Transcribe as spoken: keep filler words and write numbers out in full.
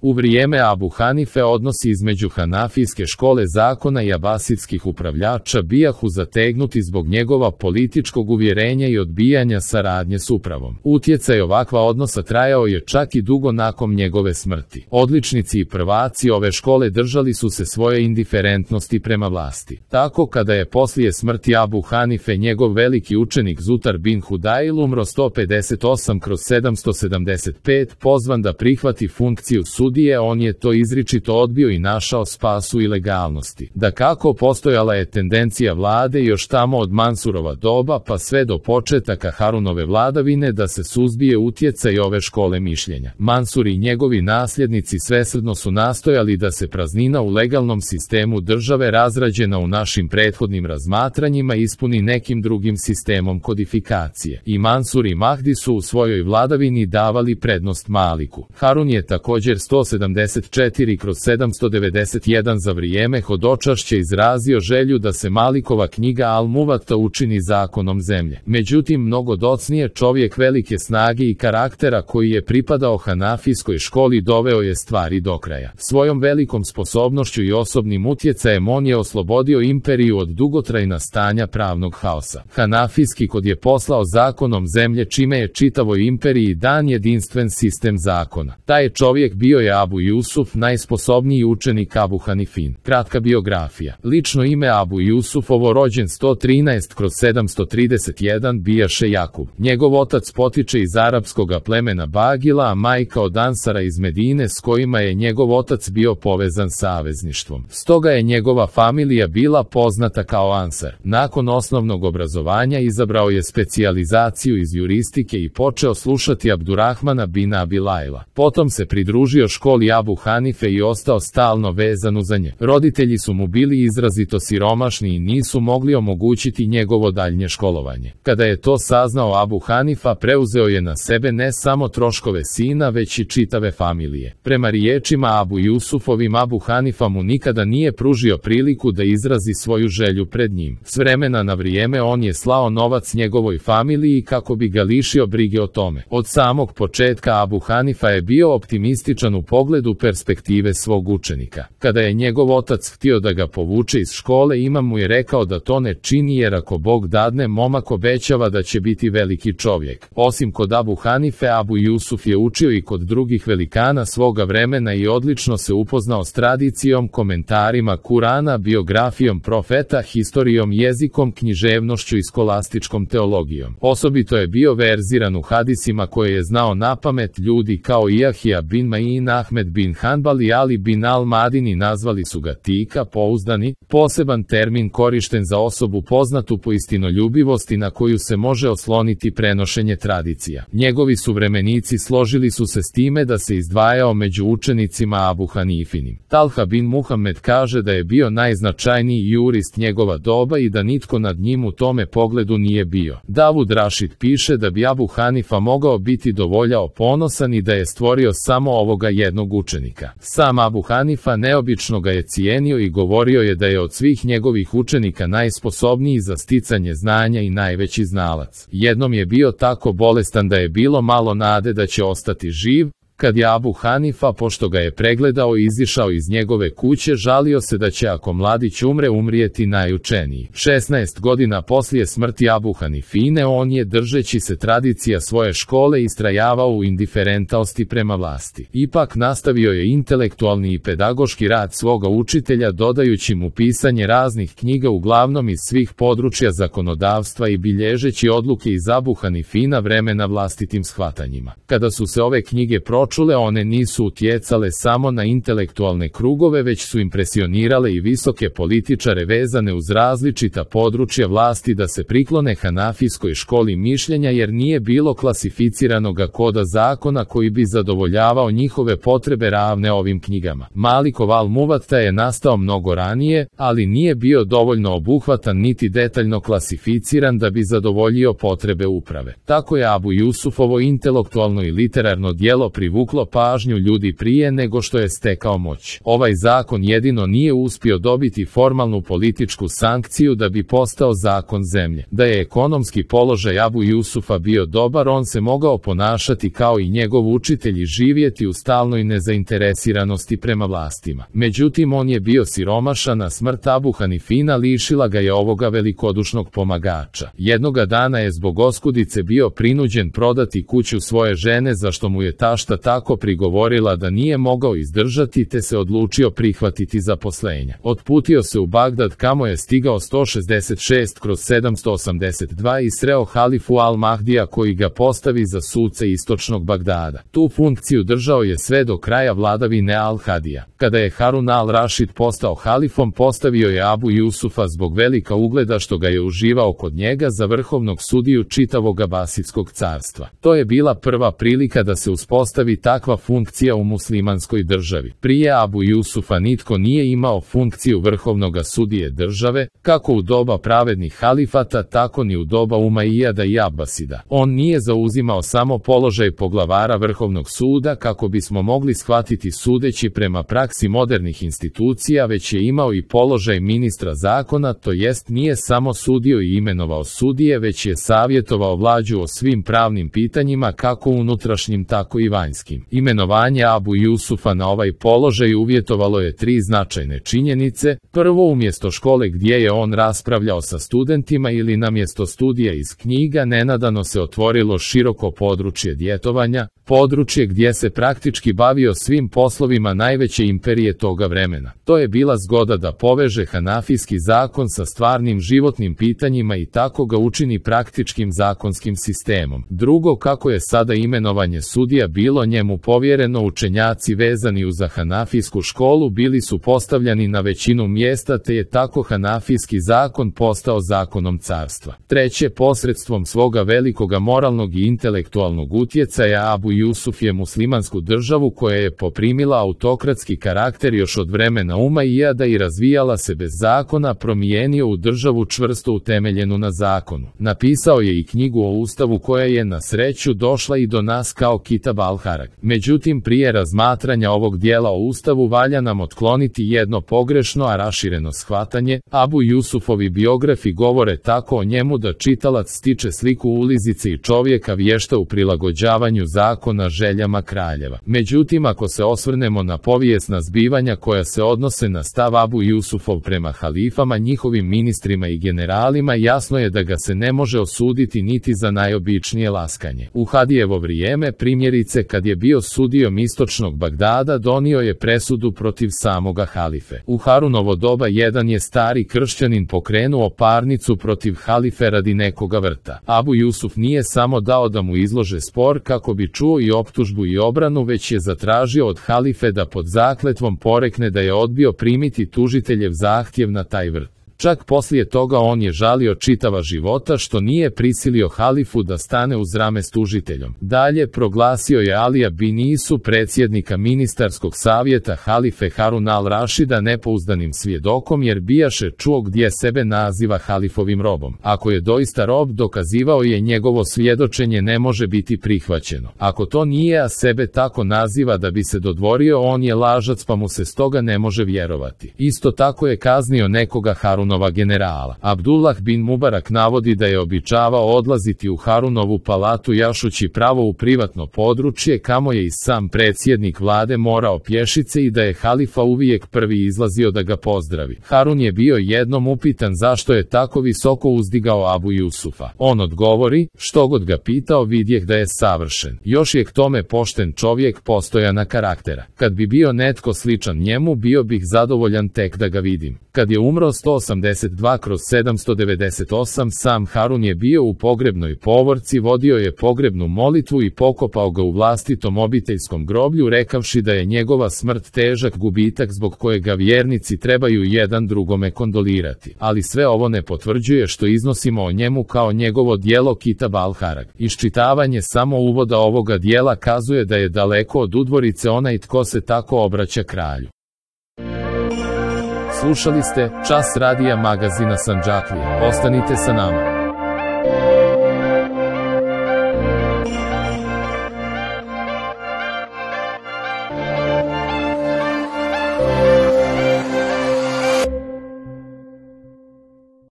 U vrijeme Abu Hanife odnosi između Hanafijske škole zakona i abasidskih upravljača bijahu zategnuti zbog njegova političkog uvjerenja i odbijanja saradnje s upravom. Utjecaj ovakva odnosa trajao je čak i dugo nakon njegove smrti. Odličnici i prvaci ove škole držali su se svoje indiferentnosti prema vlasti. Tako kada je poslije smrti Abu Hanife njegov veliki učenik Zutar bin Hudajl umro sto pedeset osam kroz sedamsto sedamdeset pet pozvan da prihvati funkciju sudije, on je to izričito odbio i našao spas u ilegalnosti. Dakako, postojala je tendencija vlade još tamo od Mansurova doba pa sve do početaka Harunove vladavine da se suzbije utjecaj ove škole mišljenja. Mansur i njegovi nasljednici svesrdno su nastojali da se praznina u legalnom sistemu države razrađena u našim prethodnim razmatranjima ispuni nekim drugim sistemom kodifikacije. I Mansur i Mahdi su u svojoj vladavini davali prednost Maliku. Harun je također sto sedamdeset četiri kroz sedamsto devedeset jedan za vrijeme hodočašća izrazio želju da se Malikova knjiga Al-Muvatta učini zakonom zemlje. Međutim, mnogo docnije čovjek velike snage i karaktera koji je pripadao Hanafijskoj školi doveo je stvari do kraja. Svojom velikom sposobnošću i osobnim utjecajem on je oslobodio imperiju od dugotrajna stanja pravnog haosa. Hanafijski kod je poslao zakonom zemlje čime je čitavoj imperiji dan jedinstven sistem zakona. Taj čovjek bio je Abu Jusuf, najsposobniji učenik Abu Hanifin. Kratka biografija. Lično ime Abu Jusufovo, rođen sto trinaest kroz sedamsto trideset jedan, bijaše Jakub. Njegov otac potiče iz arapskoga plemena Bagila, a majka od Ansara iz Medine s kojima je njegov otac bio povezan savezništvom. Stoga je njegova familija bila poznata kao Ansar. Nakon osnovnog obrazovanja izabrao je specijalizaciju iz juristike i počeo slušati Abdurrahmana bin Abi Lajla. Potom se pridružio školi Abu Hanife i ostao stalno vezan uz nje. Roditelji su mu bili izrazito siromašni i nisu mogli omogućiti njegovo daljnje školovanje. Kada je to saznao Abu Hanifa, preuzeo je na sebe ne samo troškove sina, već i čitave familije. Prema riječima Abu Jusufovim, Abu Hanifa mu nikada nije pružio priliku da izrazi svoju želju pred njim. S vremena na vrijeme on je slao novac njegovoj familiji kako bi ga lišio brige o tome. Od samog početka Abu Hanifa je bio optimističan u pogledu perspektive svog učenika. Kada je njegov otac htio da ga povuče iz škole, imam mu je rekao da to ne čini jer ako Bog dadne, momak obećava da će biti veliki čovjek. Osim kod Abu Hanife, Abu Jusuf je učio i kod drugih velikana svoga vremena i odlično se upoznao s tradicijom, komentarima Kurana, biografijom profeta, historijom, jezikom, književnošću i skolastičkom teologijom. Osobito je bio verziran u hadisima koje je znao napamet. Ljudi kao Ijahija bin Ma'in, Ahmed bin Hanbal i Ali bin al-Madini nazvali su ga tika, pouzdani, poseban termin korišten za osobu poznatu po istinoljubivosti na koju se može osloniti prenošenje tradicija. Njegovi suvremenici složili su se s time da se izdvajao među učenicima Abu Hanifinim. Talha bin Muhammed kaže da je bio najznačajniji jurist njegova doba i da nitko nad njim u tome pogledu nije bio. Davud Rašid piše da bi Abu Hanifa mogao biti dovoljao ponosan i da je stvorio samo ovoga jednog učenika. Sam Abu Hanifa neobično ga je cijenio i govorio je da je od svih njegovih učenika najsposobniji za sticanje znanja i najveći znalac. Jednom je bio tako bolestan da je bilo malo nade da će ostati živ. Kad je Abu Hanifa, pošto ga je pregledao i izišao iz njegove kuće, žalio se da će ako mladić umre umrijeti najučeniji. šesnaest godina poslije smrti Abu Hanifine on je, držeći se tradicija svoje škole, istrajavao u indiferentnosti prema vlasti. Ipak nastavio je intelektualni i pedagoški rad svoga učitelja, dodajući mu pisanje raznih knjiga uglavnom iz svih područja zakonodavstva i bilježeći odluke iz Abu Hanifina vremena vlastitim shvatanjima. Kada su se ove knjige pročitale, Čule one nisu utjecale samo na intelektualne krugove, već su impresionirale i visoke političare vezane uz različita područja vlasti da se priklone Hanafijskoj školi mišljenja jer nije bilo klasificiranoga koda zakona koji bi zadovoljavao njihove potrebe ravne ovim knjigama. Malikov Al-Muvatta je nastao mnogo ranije, ali nije bio dovoljno obuhvatan niti detaljno klasificiran da bi zadovoljio potrebe uprave. Tako je Abu Jusufovo intelektualno i literarno djelo privuklo privuklo pažnju ljudi prije nego što je stekao moć. Ovaj zakon jedino nije uspio dobiti formalnu političku sankciju da bi postao zakon zemlje. Da je ekonomski položaj Abu Jusufa bio dobar, on se mogao ponašati kao i njegov učitelj i živjeti u stalnoj nezainteresiranosti prema vlastima. Međutim, on je bio siromašan, a smrt Abu Hanifina lišila ga je ovoga velikodušnog pomagača. Jednoga dana je zbog oskudice bio prinuđen prodati kuću svoje žene, za što mu je tašta tako prigovorila da nije mogao izdržati, te se odlučio prihvatiti zaposlenja. Otputio se u Bagdad, kamo je stigao sto šezdeset šest kroz sedamsto osamdeset dva i sreo halifu Al-Mahdija koji ga postavi za suce istočnog Bagdada. Tu funkciju držao je sve do kraja vladavine Al-Hadija. Kada je Harun al-Rašid postao halifom, postavio je Abu Jusufa zbog velika ugleda što ga je uživao kod njega za vrhovnog sudiju čitavog Abasitskog carstva. To je bila prva prilika da se uspostavi takva funkcija u muslimanskoj državi. Prije Abu Jusufa nitko nije imao funkciju vrhovnoga sudije države, kako u doba pravednih halifata, tako ni u doba Umajijada i Abasida. On nije zauzimao samo položaj poglavara vrhovnog suda, kako bismo mogli shvatiti sudeći prema praksi modernih institucija, već je imao i položaj ministra zakona, to jest nije samo sudio i imenovao sudije, već je savjetovao vlađu o svim pravnim pitanjima, kako unutrašnjim tako i vanjskim. Imenovanje Abu Jusufa na ovaj položaj uvjetovalo je tri značajne činjenice. Prvo, umjesto škole gdje je on raspravljao sa studentima ili na mjesto studija iz knjiga, nenadano se otvorilo široko područje djetovanja, područje gdje se praktički bavio svim poslovima najveće imperije toga vremena. To je bila zgoda da poveže hanafijski zakon sa stvarnim životnim pitanjima i tako ga učini praktičkim zakonskim sistemom. Drugo, kako je sada imenovanje sudija bilo njemu povjereno, učenjaci vezani uz hanafijsku školu bili su postavljani na većinu mjesta, te je tako hanafijski zakon postao zakonom carstva. Treće, posredstvom svoga velikoga moralnog i intelektualnog utjecaja Abu Jusuf je muslimansku državu, koja je poprimila autokratski karakter još od vremena Umajijada i razvijala se bez zakona, promijenio u državu čvrsto utemeljenu na zakonu. Napisao je i knjigu o Ustavu koja je na sreću došla i do nas kao Kitab al-Harag. Međutim, prije razmatranja ovog dijela o Ustavu valja nam otkloniti jedno pogrešno, a rašireno shvatanje. Abu Jusufovi biografi govore tako o njemu da čitalac stiče sliku ulizice i čovjeka vješta u prilagođavanju zakona željama kraljeva. Međutim, ako se osvrnemo na povijesna zbivanja koja se odnose na stav Abu Jusufov prema halifama, njihovim ministrima i generalima, jasno je da ga se ne može osuditi niti za najobičnije laskanje. U Hadijevo vrijeme, primjerice kad je bio sudijom istočnog Bagdada, donio je presudu protiv samoga halife. U Harunovo doba jedan je stari kršćanin pokrenuo parnicu protiv halife radi nekoga vrta. Abu Jusuf nije samo dao da mu izlože spor kako bi čuo i optužbu i obranu, već je zatražio od halife da pod zakletvom porekne da je odbio primiti tužiteljev zahtjev na taj vrt. Čak poslije toga on je žalio čitava života što nije prisilio halifu da stane uz rame s tužiteljom. Dalje, proglasio je Alija bin Isu, predsjednika ministarskog savjeta halife Harun al-Rašida, nepouzdanim svjedokom, jer bijaše čuo gdje sebe naziva halifovim robom. Ako je doista rob, dokazivao je, njegovo svjedočenje ne može biti prihvaćeno. Ako to nije, a sebe tako naziva da bi se dodvorio, on je lažac, pa mu se stoga ne može vjerovati. Isto tako je kaznio nekoga Harun Harunova generala. Abdullah bin Mubarak navodi da je običavao odlaziti u Harunovu palatu jašući pravo u privatno područje, kamo je i sam predsjednik vlade morao pješice, i da je halifa uvijek prvi izlazio da ga pozdravi. Harun je bio jednom upitan zašto je tako visoko uzdigao Abu Jusufa. On odgovori, što god ga pitao vidjeh da je savršen. Još je k tome pošten čovjek, postojana karaktera. Kad bi bio netko sličan njemu, bio bih zadovoljan tek da ga vidim. Kad je umro sto osamdeset dva kroz sedamsto devedeset osam, sam Harun je bio u pogrebnoj povorci, vodio je pogrebnu molitvu i pokopao ga u vlastitom obiteljskom groblju, rekavši da je njegova smrt težak gubitak zbog kojega vjernici trebaju jedan drugome kondolirati. Ali sve ovo ne potvrđuje što iznosimo o njemu kao njegovo djelo Kitab al-Harag. Iščitavanje samo uvoda ovoga dijela kazuje da je daleko od udvorice onaj tko se tako obraća kralju. Slušali ste Čas radija magazina Sandžaklija. Ostanite sa nama.